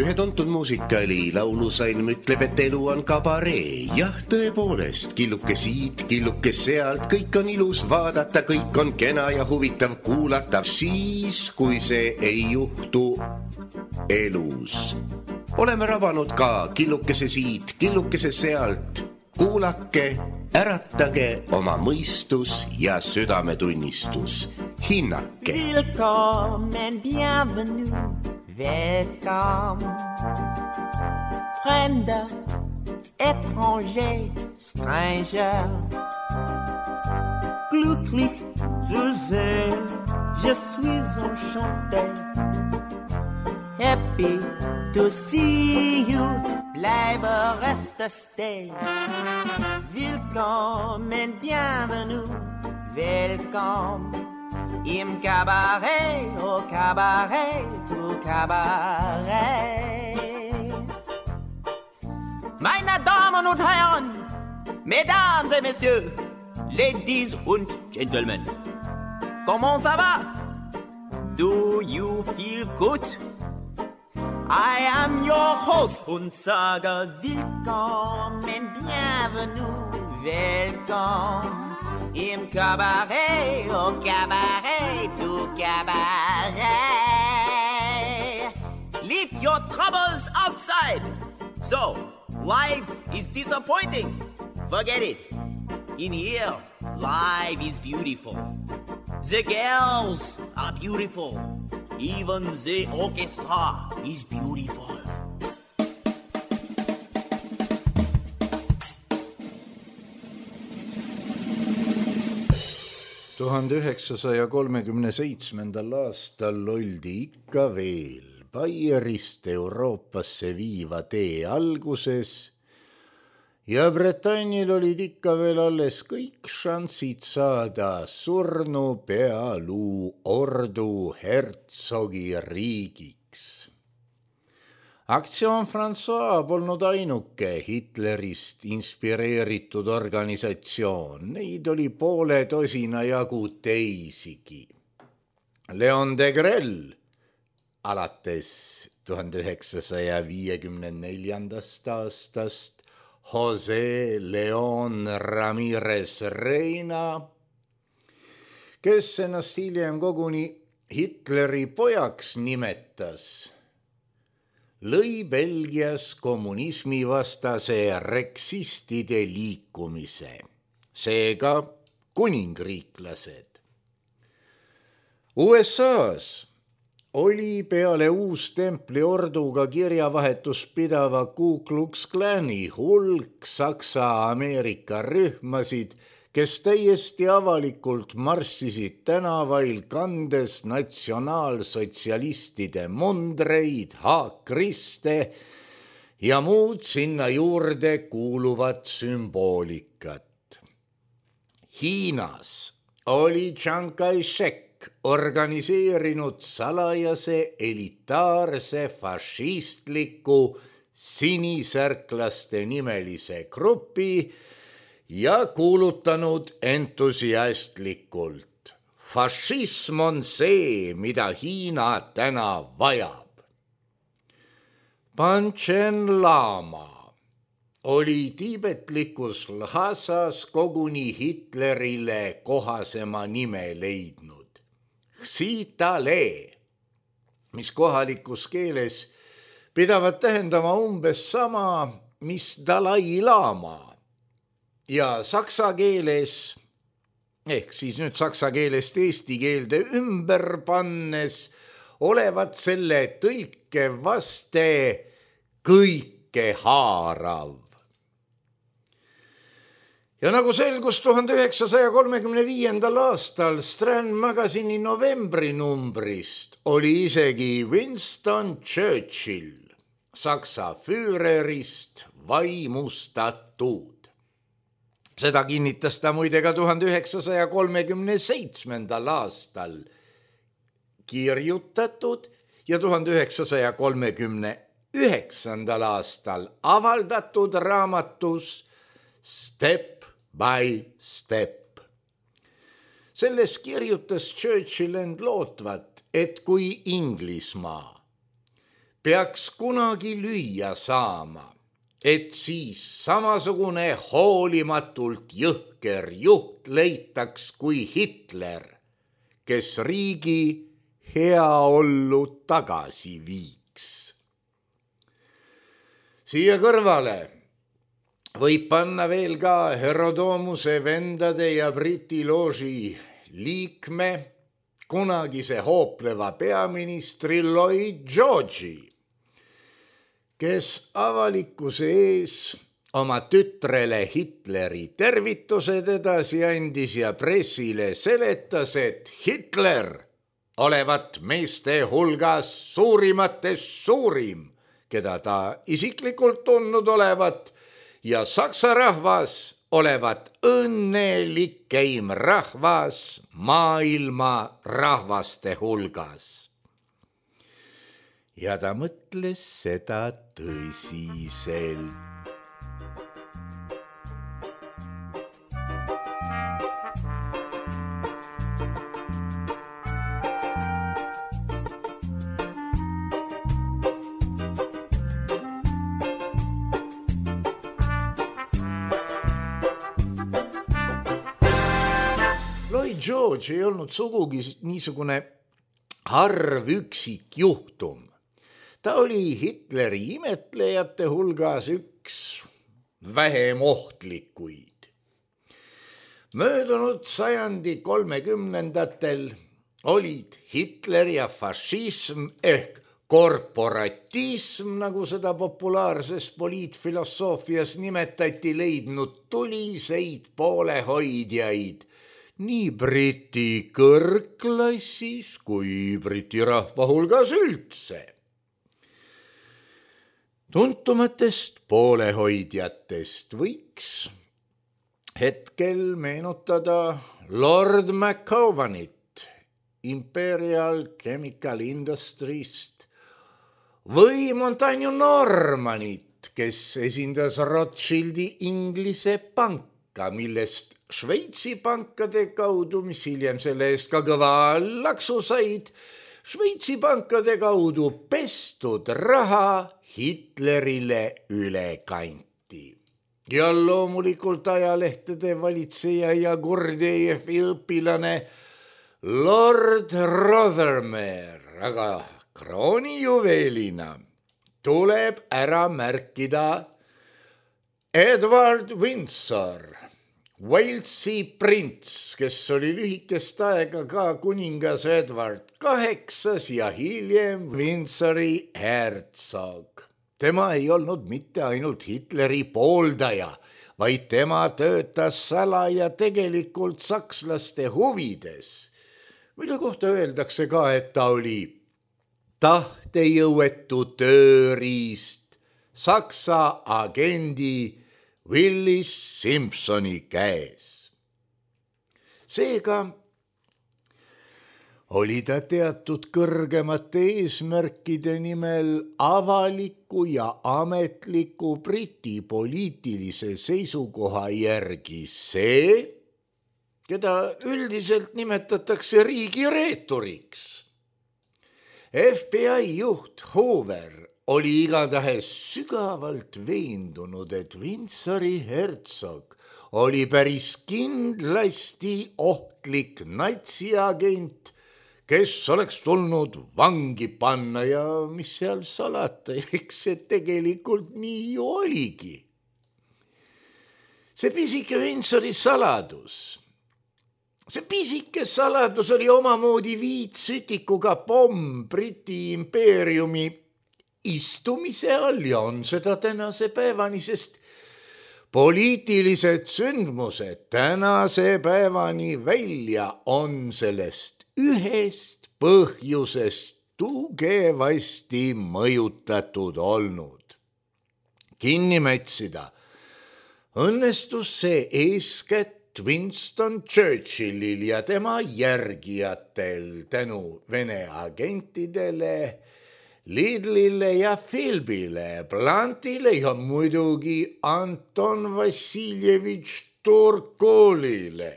Ühe tuntud muusikali laulusalm ütleb, et elu on kabaree. Jah, tõepoolest, killuke siit, killuke sealt, kõik on ilus vaadata, kõik on kena ja huvitav kuulata. Siis, kui see ei juhtu elus. Oleme rabanud ka killukese siit, killukese sealt. Kuulake, äratage oma mõistus ja südametunnistus. Hinnake. Willkommen, bienvenue. Welcome, Fremder, étranger, stranger. Glücklich zu sehen, je suis enchanté. Happy to see you, bleibe reste stay. Willkommen, bienvenue, welcome. Im Cabaret, au Cabaret, tout Cabaret. Meine Damen und Herren, Mesdames et Messieurs, Ladies und Gentlemen, comment ça va? Do you feel good? I am your host und sage willkommen, bienvenue, welcome. Im Cabaret, au Cabaret, tout Cabaret. Leave your troubles outside. So, life is disappointing. Forget it. In here, life is beautiful. The girls are beautiful. Even the orchestra is beautiful. 1937. aastal oldi ikka veel Baierist Euroopasse viiva tee alguses ja Bretannil olid ikka veel alles kõik šansid saada surnu pealuu ordu hertsogi riigiks. Aktsioon François polnud ainuke Hitlerist inspireeritud organisatsioon, neid oli poole tosina jagu teisigi. Leon Degrelle alates 1954. aastast, Jose Leon Ramirez Reina, kes ennast hiljem koguni Hitleri pojaks nimetas, lõi Belgias kommunismivastase reksistide liikumise, seega kuningriiklased. USA's oli peale Uustempli orduga kirjavahetus pidava Ku Klux Klani hulk Saksa-Ameerika rühmasid, kes täiesti avalikult marssisid tänavail kandes natsionaalsotsialistide mundreid, haakriste ja muud sinna juurde kuuluvat sümboolikat. Hiinas oli Chiang Kai-shek organiseerinud salajase elitaarse fašistliku sinisärklaste nimelise grupi ja kuulutanud entusiastlikult: fašism on see, mida Hiina täna vajab. Panchen Lama oli tiibetlikus Lhasas koguni Hitlerile kohasema nime leidnud. Xitale, mis kohalikus keeles pidavat tähendama umbes sama, mis Dalai Lama. Ja saksa keeles, ehk siis nüüd saksa keelest eesti keelde ümber pannes, olevat selle tõlke vaste kõike haarav. Ja nagu selgus 1935. aastal Strand Magazine'i novembrinumbrist, oli isegi Winston Churchill Saksa füürerist vaimustatud. Seda kinnitas ta muide ka 1937. aastal kirjutatud ja 1939. aastal avaldatud raamatus Step by Step. Selles kirjutas Churchill end lootvat, et kui Inglismaa peaks kunagi lüüa saama, et siis samasugune hoolimatult jõhker juht leitaks kui Hitler, kes riigi heaollu tagasi viiks. Siia kõrvale võib panna veel ka Herodomuse vendade ja Briti looži liikme, kunagise hoopleva peaministri Lloyd George'i, kes avalikkuse ees oma tütrele Hitleri tervitused edasi andis ja pressile seletas, et Hitler olevat meeste hulgas suurimatest suurim, keda ta isiklikult tundnud olevat, ja saksa rahvas olevat õnnelikeim rahvas maailma rahvaste hulgas. Ja ta mõtles seda tõsiselt. Lloyd George ei olnud sugugi niisugune harv üksik juhtum. Ta oli Hitleri imetlejate hulgas üks vähem ohtlikuid. Möödunud sajandi 30ndatel olid Hitler ja fašism ehk korporatism, nagu seda populaarses poliitfilosoofias nimetati, leidnud tuliseid poolehoidjaid nii Briti kõrgklassis kui Briti rahva hulgas üldse. Tuntumatest poolehoidjatest võiks hetkel meenutada Lord McCovanit Imperial Chemical Industries'st või Montaigne Normanit, kes esindas Rothschildi Inglise panka, millest Šveitsi pankade kaudu, mis hiljem selle eest ka kõva laksu said, Šveitsi pankade kaudu pestud raha Hitlerile üle kanti. Ja loomulikult ajalehtede valitseja ja Gurdjieffi õpilane Lord Rothermere, aga kroonijuveelina tuleb ära märkida Edward Windsor, Walesi prints, kes oli lühikest aega ka kuningas Edward VIII ja hiljem Windsori hertsog. Tema ei olnud mitte ainult Hitleri pooldaja, vaid tema töötas salaja tegelikult sakslaste huvides, mille kohta öeldakse ka, et ta oli tahtejõuetu tööriist Saksa agendi Willis Simpsoni käes. Seega oli ta teatud kõrgemate eesmärkide nimel avaliku ja ametliku Briti poliitilise seisukoha järgi see, keda üldiselt nimetatakse riigireeturiks. FBI juht Hoover oli igatahes sügavalt veendunud, et Windsori hertsog oli päris kindlasti ohtlik natsiagent, kes oleks tulnud vangi panna ja mis seal salata, eks see tegelikult nii oligi. See pisike Windsori saladus. See pisike saladus oli omamoodi viitsütikuga pomm Briti impeeriumi istumise all ja on seda tänase päevani, sest poliitilised sündmused tänase päevani välja on sellest ühest põhjusest tugevasti mõjutatud olnud. Kinni mätsida õnnestus see eeskätt Winston Churchillil ja tema järgijatel tänu Vene agentidele, Lidlile ja Philbile, Blantile ja muidugi Anton Vassiljevitš Turkolile.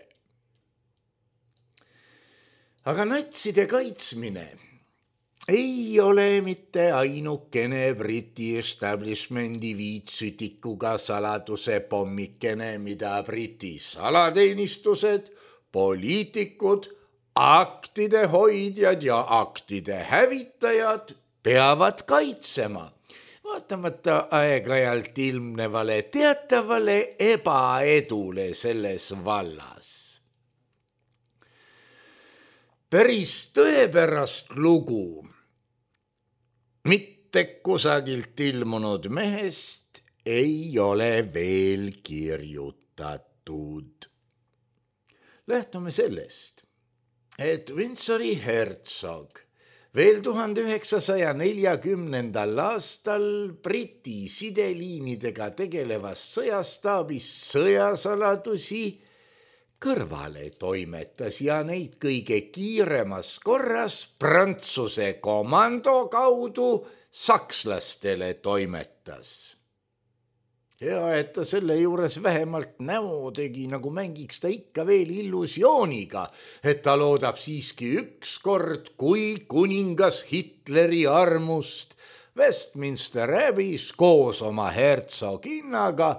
Aga natside kaitsmine ei ole mitte ainukene Briti establishmendi viitsütikuga saladuse pommikene, mida Briti salateenistused, poliitikud, aktide hoidjad ja aktide hävitajad peavad kaitsema, vaatamata aeg-ajalt ilmnevale teatavale ebaedule selles vallas. Päris tõepärast lugu mitte kusagilt ilmunud mehest ei ole veel kirjutatud. Lähtume sellest, et Windsori hertsog veel 1940. aastal Briti sideliinidega tegelevas sõjastaabis sõjasaladusi kõrvale toimetas ja neid kõige kiiremas korras Prantsuse komando kaudu sakslastele toimetas. Ja et ta selle juures vähemalt näo tegi, nagu mängiks ta ikka veel illusiooniga, et ta loodab siiski ükskord, kui kuningas Hitleri armust Westminster Abbeys koos oma hertsoginnaga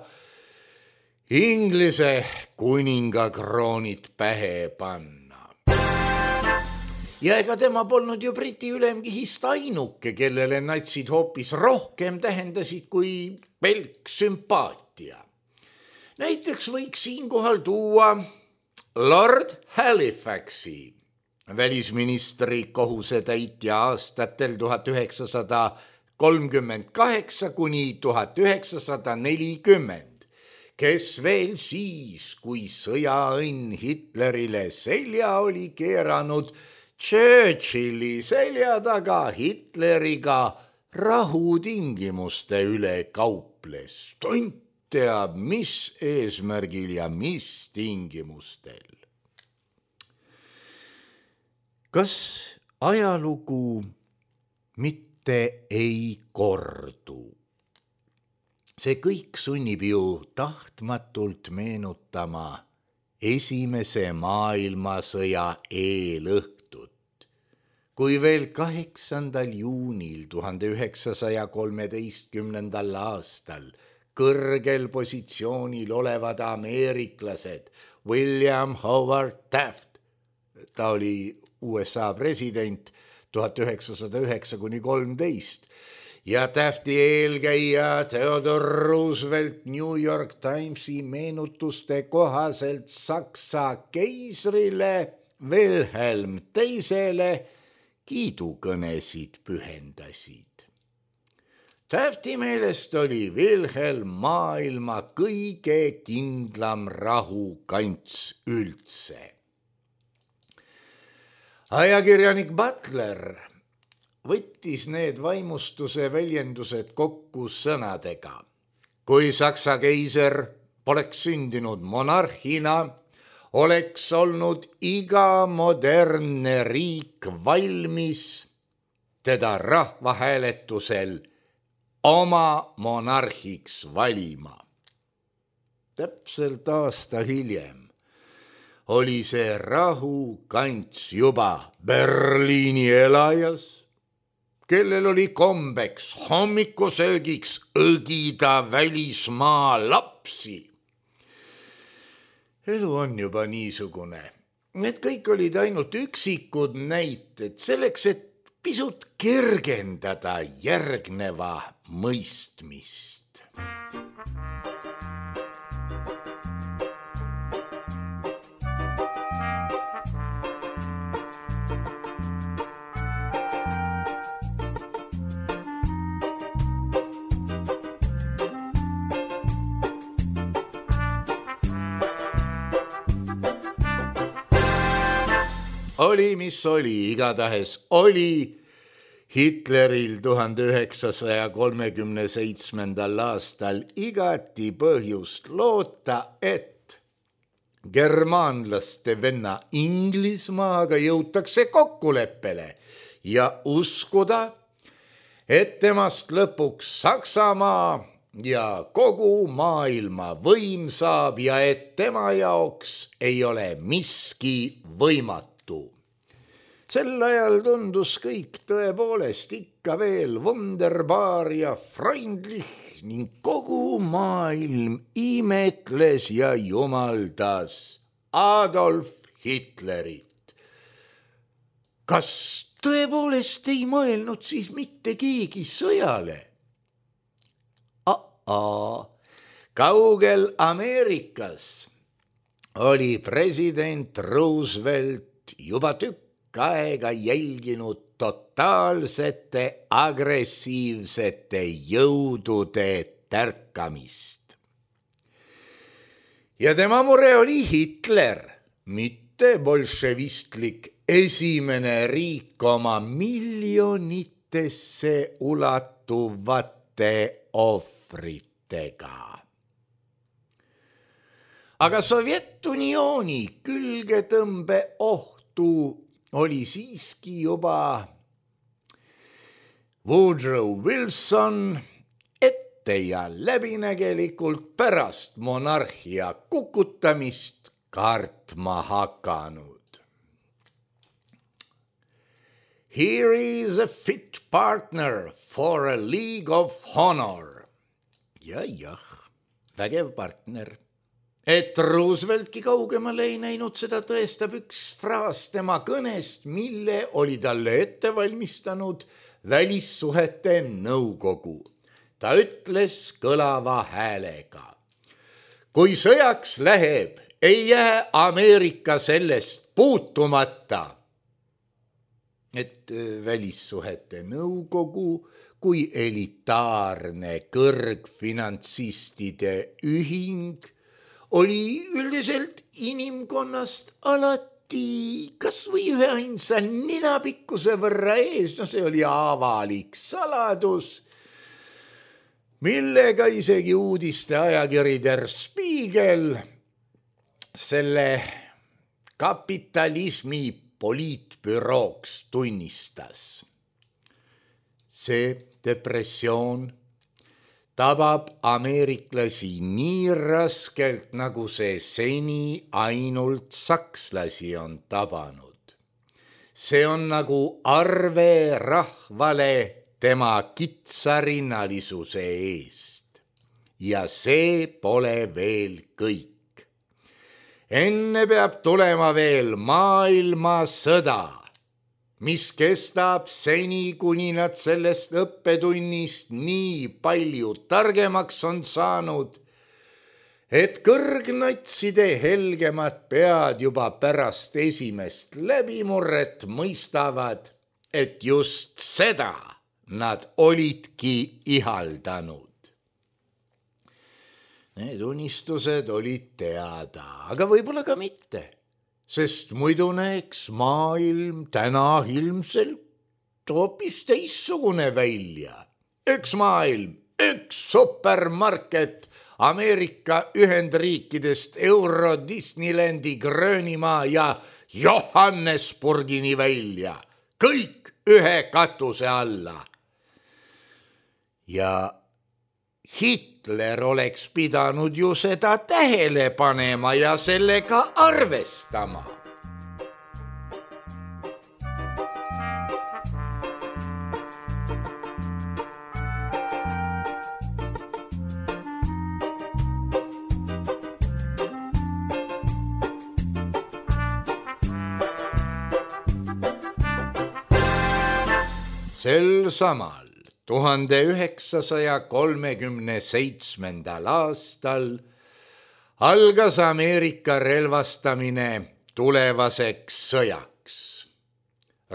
Inglise kuninga kroonid pähe panna. Ja ega tema polnud ju Briti ülemkihist ainuke, kellele natsid hoopis rohkem tähendasid kui pelk sümpaatia. Näiteks võiks siinkohal tuua Lord Halifaxi, välisministri kohusetäitja aastatel 1938 kuni 1940, kes veel siis, kui sõjaõnn Hitlerile selja oli keeranud, Churchilli selja taga Hitleriga rahutingimuste üle kauples. Tont teab, mis eesmärgil ja mis tingimustel. Kas ajalugu mitte ei kordu? See kõik sunnib ju tahtmatult meenutama Esimese maailmasõja eelõhtut, kui veel 8. juunil 1913. aastal kõrgel positsioonil olevad ameeriklased William Howard Taft, ta oli USA president 1909–13, ja Tafti eelkäija Theodore Roosevelt New York Timesi meenutuste kohaselt Saksa keisrile Wilhelm II kiidukõnesid pühendasid. Tafti meelest oli Wilhelm maailma kõige kindlam rahukants üldse. Ajakirjanik Butler võttis need vaimustuse väljendused kokku sõnadega. Kui Saksa keiser poleks sündinud monarhina, oleks olnud iga modernne riik valmis teda rahvahääletusel oma monarhiks valima. Täpselt aasta hiljem oli see rahukants juba Berliini elajas, kellel oli kombeks hommikusöögiks õgida välismaa lapsi. Elu on juba niisugune. Need kõik olid ainult üksikud näited selleks, et pisut kergendada järgneva mõistmist. Oli, mis oli, igatahes oli Hitleril 1937. aastal igati põhjust loota, et germaanlaste venna Inglismaaga jõutakse kokkuleppele ja uskuda, et temast lõpuks Saksamaa ja kogu maailma võim saab ja et tema jaoks ei ole miski võimatu. Sel ajal tundus kõik tõepoolest ikka veel wunderbar ja freundlich ning kogu maailm imetles ja jumaldas Adolf Hitlerit. Kas tõepoolest ei mõelnud siis mitte keegi sõjale? Kaugel Ameerikas oli president Roosevelt juba tükk aega jälginud totaalsete agressiivsete jõudude tärkamist. Ja tema mure oli Hitler, mitte bolševistlik esimene riik oma miljonitesse ulatuvate ohvritega. Aga Sovjet-Unioni külgetõmbe ohtu oli siiski juba Woodrow Wilson ette ja läbinägelikult pärast monarhia kukutamist kartma hakanud. Here is a fit partner for a league of honor. Jah, vägev partner. Et Rooseveltki kaugemale ei näinud, seda tõestab üks fraas tema kõnest, mille oli talle ette valmistanud välissuhete nõukogu. Ta ütles kõlava häälega: kui sõjaks läheb, ei jää Ameerika sellest puutumata. Et välissuhete nõukogu kui elitaarne kõrgfinantsistide ühing oli üldiselt inimkonnast alati kas või ühe ainsa ninapikkuse võrra ees, see oli avalik saladus, millega isegi uudiste ajakiri Der Spiegel selle kapitalismi poliitbürooks tunnistas. See depressioon tabab ameeriklasi nii raskelt, nagu see seni ainult sakslasi on tabanud. See on nagu arve rahvale tema kitsarinnalisuse eest. Ja see pole veel kõik. Enne peab tulema veel maailmasõda, mis kestab seni, kuni nad sellest õppetunnist nii palju targemaks on saanud, et kõrgnatside helgemad pead juba pärast esimest läbimurret mõistavad, et just seda nad olidki ihaldanud. Need unistused olid teada, aga võib-olla ka mitte, sest muidu näeks maailm täna ilmselt hoopis teissugune välja. Üks maailm, üks supermarket Ameerika Ühendriikidest Euro Disneylandi Gröönimaa ja Johannesburgini välja. Kõik ühe katuse alla. Ja Hitler oleks pidanud ju seda tähele panema ja sellega arvestama. Sel samal 1937. aastal algas Ameerika relvastamine tulevaseks sõjaks.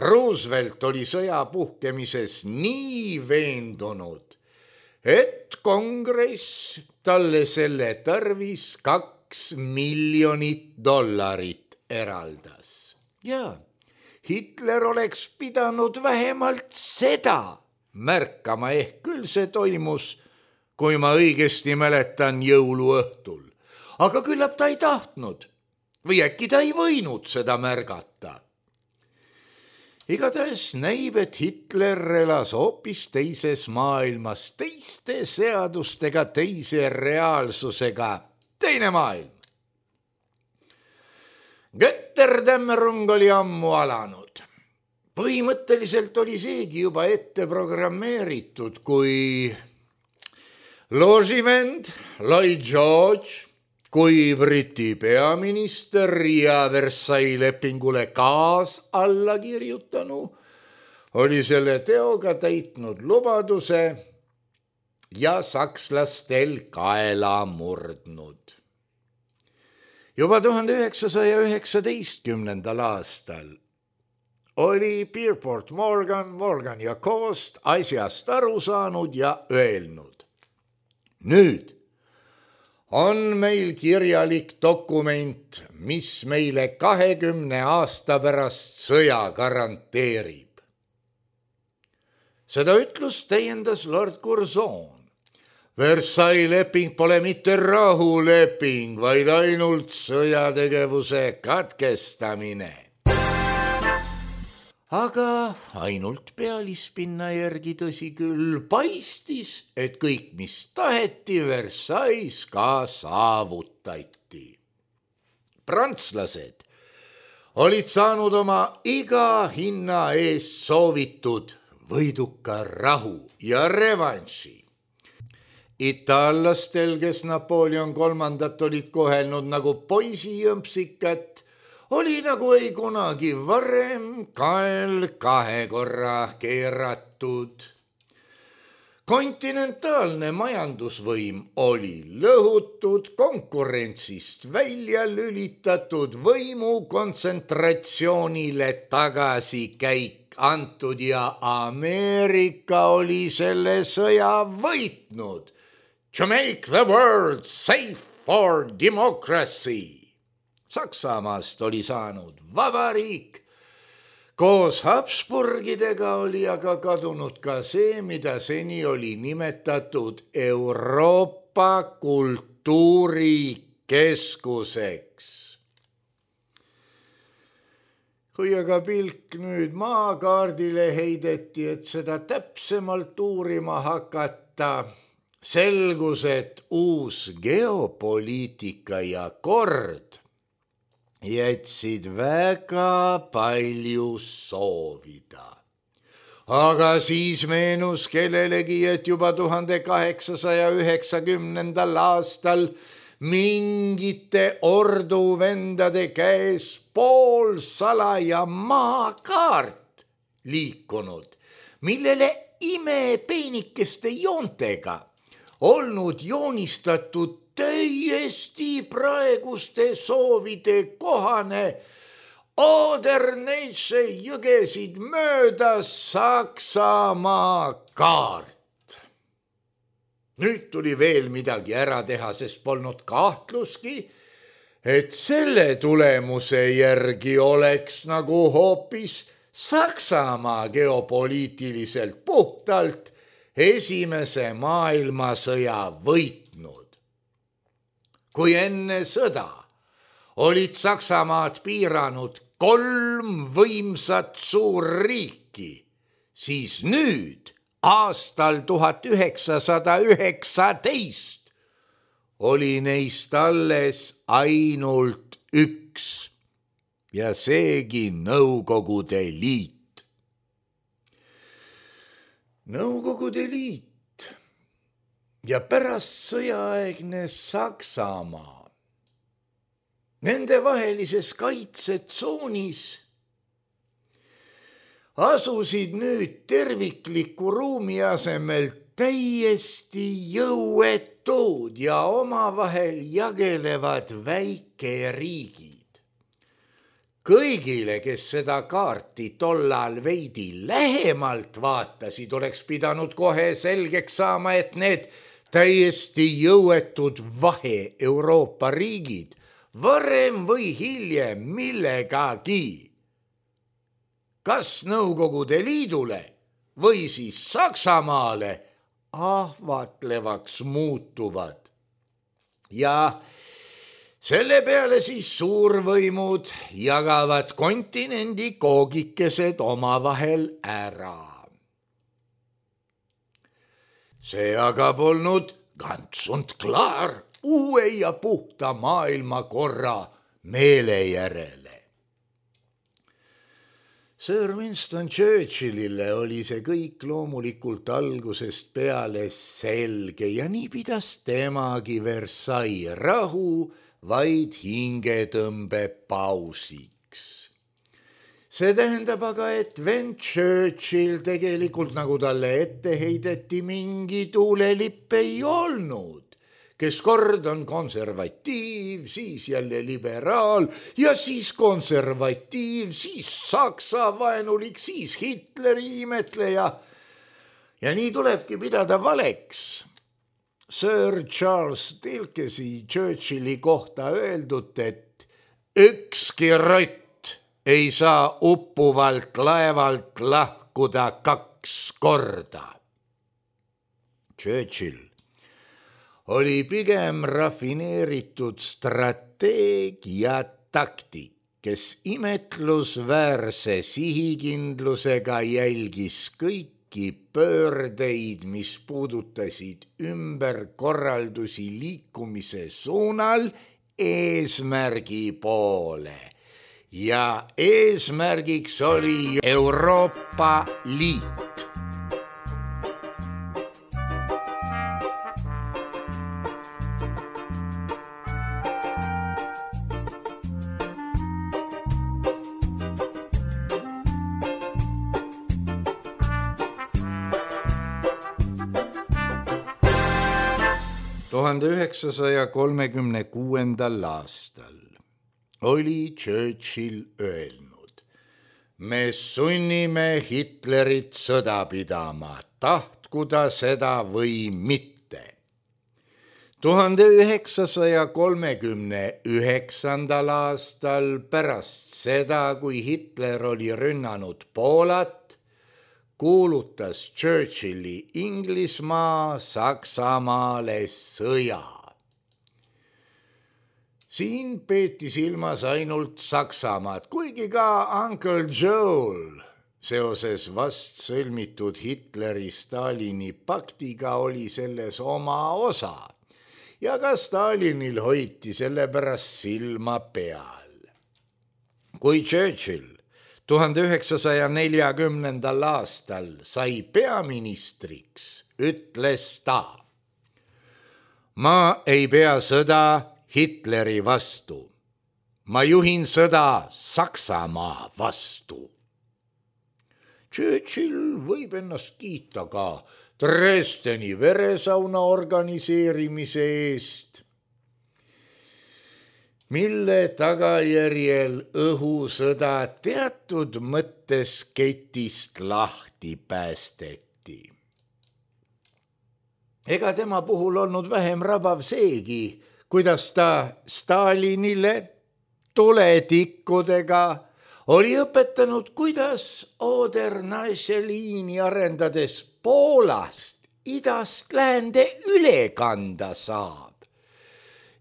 Roosevelt oli sõja puhkemises nii veendunud, et kongress talle selle tarvis $2 miljonit eraldas. Ja Hitler oleks pidanud vähemalt seda märkama, ehk küll see toimus, kui ma õigesti mäletan, jõuluõhtul. Aga küllap ta ei tahtnud või äkki ta ei võinud seda märgata. Igatahes näib, et Hitler elas hoopis teises maailmas, teiste seadustega, teise reaalsusega, teine maailm. Götterdämmerung oli ammu alanud. põhimõtteliselt oli seegi juba ette programmeeritud, kui looživend Lloyd George kui Briti peaminister ja Versailles lepingule kaas alla kirjutanu oli selle teoga täitnud lubaduse ja sakslastel kaela murdnud. Juba 1919. aastal oli Pierpont Morgan ja Coast asjast aru saanud ja öelnud: nüüd on meil kirjalik dokument, mis meile 20 aasta pärast sõja garanteerib. Seda ütlust täiendas Lord Curzon. Versailles leping pole mitte rahuleping, vaid ainult sõjategevuse katkestamine. Aga ainult pealispinna järgi, tõsi küll, paistis, et kõik, mis taheti, Versailles ka saavutati. Prantslased olid saanud oma iga hinna eest soovitud võiduka rahu ja revanši. Itaallastel, kes Napoleon III olid kohelnud nagu poisijõmpsikat, oli nagu ei kunagi varem kael 2 korra keeratud. Kontinentaalne majandusvõim oli lõhutud, konkurentsist välja lülitatud, võimu kontsentratsioonile tagasikäik antud ja Ameerika oli selle sõja võitnud. To make the world safe for democracy. Saksamaast oli saanud vabariik. Koos Habsburgidega oli aga kadunud ka see, mida seni oli nimetatud Euroopa kultuurikeskuseks. Kui aga pilk nüüd maakaardile heideti, et seda täpsemalt uurima hakata, selgus, et uus geopoliitika ja kord jätsid väga palju soovida. Aga siis meenus kellelegi, et juba 1890. aastal mingite orduvendade käes poolsalaja maakaart liikunud, millele imepeenikeste joontega olnud joonistatud täiesti praeguste soovide kohane Oder-Neisse jõgesid mööda Saksamaa kaart. Nüüd tuli veel midagi ära teha, sest polnud kahtluski, et selle tulemuse järgi oleks nagu hoopis Saksamaa geopoliitiliselt puhtalt Esimese maailmasõja võitnud. Kui enne sõda olid Saksamaad piiranud 3 võimsat suurriiki, siis nüüd aastal 1919 oli neist alles ainult 1 ja seegi Nõukogude Liit. Nõukogude Liit ja pärast sõjaaegne Saksamaa. Nende vahelises kaitsetsoonis asusid nüüd tervikliku ruumi asemel täiesti jõuetud ja omavahel jagelevad väikeriigid. Kõigile, kes seda kaarti tollal veidi lähemalt vaatasid, oleks pidanud kohe selgeks saama, et need täiesti jõuetud vahe-Euroopa riigid varem või hiljem millegagi, kas Nõukogude Liidule või siis Saksamaale ahvatlevaks muutuvad. Ja selle peale siis suurvõimud jagavad kontinendi koogikesed omavahel ära. See aga polnud ganz und klar uue ja puhta maailmakorra meele järele. Sir Winston Churchillile oli see kõik loomulikult algusest peale selge ja nii pidas temagi Versailles rahu vaid hingetõmbe pausiks. See tähendab aga, et vend Churchill tegelikult, nagu talle ette heideti, mingi tuulelipp ei olnud, kes kord on konservatiiv, siis jälle liberaal ja siis konservatiiv, siis Saksa vaenulik, siis Hitleri imetleja. Ja nii tulebki pidada valeks Sir Charles Dilkesi Churchilli kohta öeldud, et ükski rott ei saa uppuvalt laevalt lahkuda 2 korda. Churchill oli pigem rafineeritud strateeg ja taktik, kes imetlusväärse sihikindlusega jälgis kõiki pöördeid, mis puudutasid ümberkorraldusi liikumise suunal eesmärgi poole. Ja eesmärgiks oli Euroopa Liit. ...1936. aastal oli Churchill öelnud: me sunnime Hitlerit sõda pidama, tahtku ta seda või mitte. 1939. aastal pärast seda, kui Hitler oli rünnanud Poolat, kuulutas Churchilli Inglismaa Saksamaale sõja. Siin peeti silmas ainult Saksamaad, kuigi ka Uncle Joel seoses vast sõlmitud Hitleri-Stalini paktiga oli selles oma osa ja ka Stalinil hoiti selle pärast silma peal. Kui Churchill 1940. aastal sai peaministriks, ütles ta: ma ei pea sõda Hitleri vastu, ma juhin sõda Saksamaa vastu. Churchill võib ennast kiita ka Dresdeni veresauna organiseerimise eest, mille tagajärjel õhusõda teatud mõttes ketist lahti päästeti. Ega tema puhul olnud vähem rabav seegi, kuidas ta Stalinile tuletikkudega oli õpetanud, kuidas Oder-Neisse-liini arendades Poolast idast läände üle kanda saab.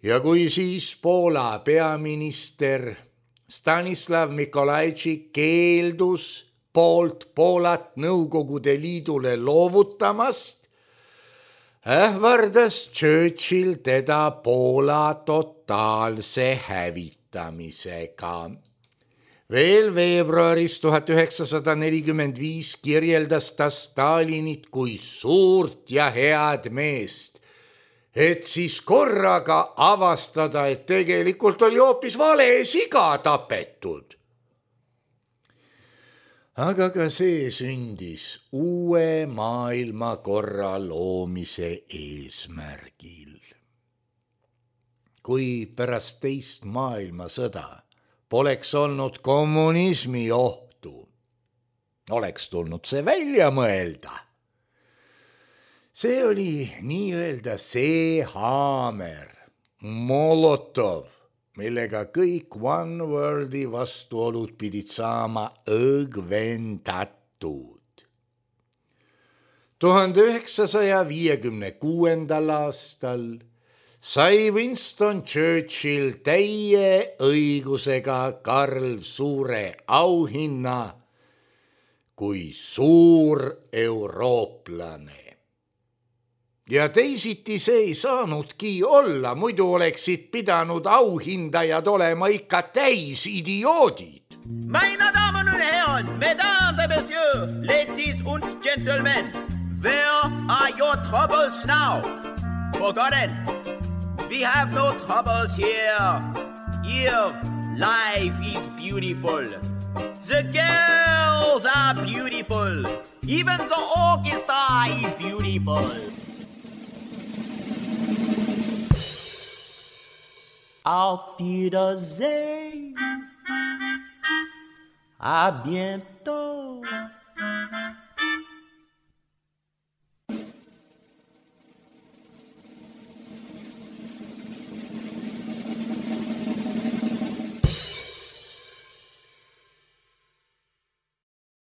Ja kui siis Poola peaminister Stanislav Mikolajtšik keeldus Poolat Nõukogude Liidule loovutamast, ähvardas Churchill teda Poola totaalse hävitamisega. Veel veebruaris 1945 kirjeldas ta Stalinit kui suurt ja head meest, et siis korraga avastada, et tegelikult oli hoopis vale siga tapetud. Aga ka see sündis uue maailmakorra loomise eesmärgil. Kui pärast teist maailmasõda poleks olnud kommunismi ohtu, oleks tulnud see välja mõelda. See oli nii-öelda see haamer, Molotov, millega kõik One Worldi vastuolud pidid saama õgvendatud. 1956. aastal sai Winston Churchill täie õigusega Karl Suure auhinna kui suur eurooplane. Ja teisiti see ei saanudki olla, muidu oleksid pidanud auhindajad olema ikka täis idioodid. Meine Damen und Herren, Mesdames et Messieurs, Ladies und Gentlemen, where are your troubles now? Forgotten. We have no troubles here. Here, life is beautiful. The girls are beautiful. Even the orchestra is beautiful. Auf Wiedersehen. À bientôt.